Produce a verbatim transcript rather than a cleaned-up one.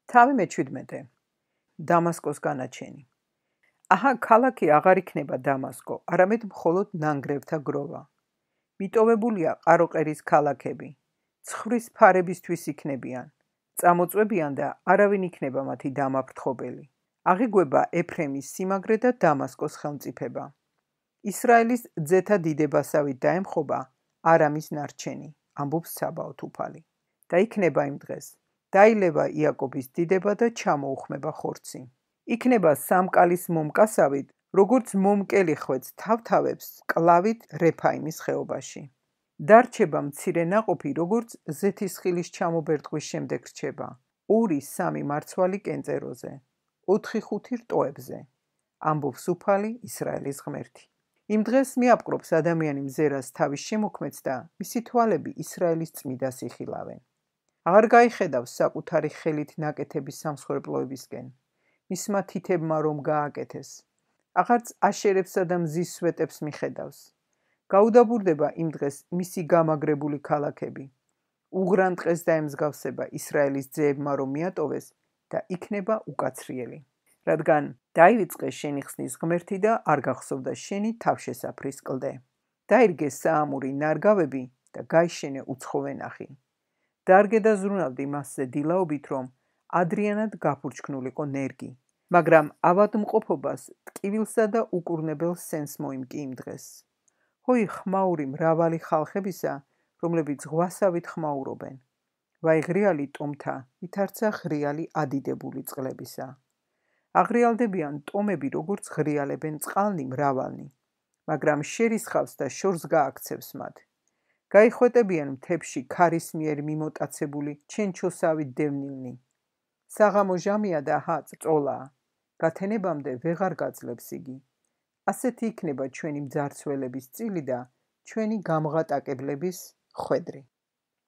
თავი მეჩვიდმეტე. დამასკოს განაჩენი. აჰა, ქალაქი აღარ იქნება დამასკო, არამედ მხოლოდ ნანგრევთა გროვა. მიტოვებულია ყაროყერის ქალაქები. ცხვრის ფარებისთვის იქნებიან. წამოწვებიან და არავინ იქნება მათი დამაფრთხობელი. აღიგვება ეფრემის სიმაგრე და დამასკოს ხელმწიფება. ისრაელის ძეთა დიდებასავით დაემხობა არამის ნარჩენი, ამბობს საბაოთ უფალი. და იქნება იმ დღეს. დაილევა იაკობის დიდება და ჩამოუხმება ხორცი. იქნება სამკალის მომკასავით, როგორც მომკელი ხვეწ თავთავებს კლავით რეფაიმის ხეობაში. დარჩება მცირე ნაყოფი, როგორც ზეთისხილის ჩამობერტყვის შემდეგ რჩება. ორი სამი მარცვალი კენწეროზე. ოთხი ხუთი რტოებზე. ამბობს უფალი ისრაელის ღმერთი. იმ დღეს მიაპყრობს ადამიანი მზერას თავის შემოქმედს და მისი თვალები ისრაელის წმიდას იხილავენ. აღარ გაიხედავს საკუთარი ხელით ნაკეთების სამსხვერპლოებისკენ. მისმა თითებმა რომ გააკეთეს. აღარც აშერებსა და მზის სვეტებს მიხედავს. გაუდაბურდება იმ დღეს მისი გამაგრებული ქალაქები. უღრან-ტყეს დაემსგავსება ისრაელის ძეებმა რომ მიატოვეს და იქნება უკაცრიელი. რადგან დაივიწყე შენი ხსნის ღმერთი და არ გახსოვდა შენი თავშესაფრის კლდე. დაირგე საამური ნარგავები და გაიშენე უცხოვენახი. დარგე და ზრუნავდი მასზე დილაობით, რომ ადრიანად გაფურჩქნულიყო ნერგი. მაგრამ ავადმყოფობას, ტკივილსა და უკურნებელ სენს მოიმკი იმ დღეს. ჰოი ხმაური მრავალი ხალხებისა, რომლებიც ზღვასავით ხმაურობენ. ვაი ღრიალი ტომთა, ითარცა ღრიალი ადიდებული წყლებისა. აღრიალდებიან ტომები, როგორც ღრიალებენ წყალნი მრავალნი, მაგრამ შერისხავს და შორს გააქცევს მათ. გაიხვეტებიან მთებში ქარის მიერ მიმოტაცებული ჩენჩოსავით დევნილნი. საღამო ჟამია და ჰა წოლაა. გათენებამდე ვეღარ გაძლებს იგი. ასეთი იქნება ჩვენი მძარცველების წილი და ჩვენი გამღატაკებლების ხვედრი.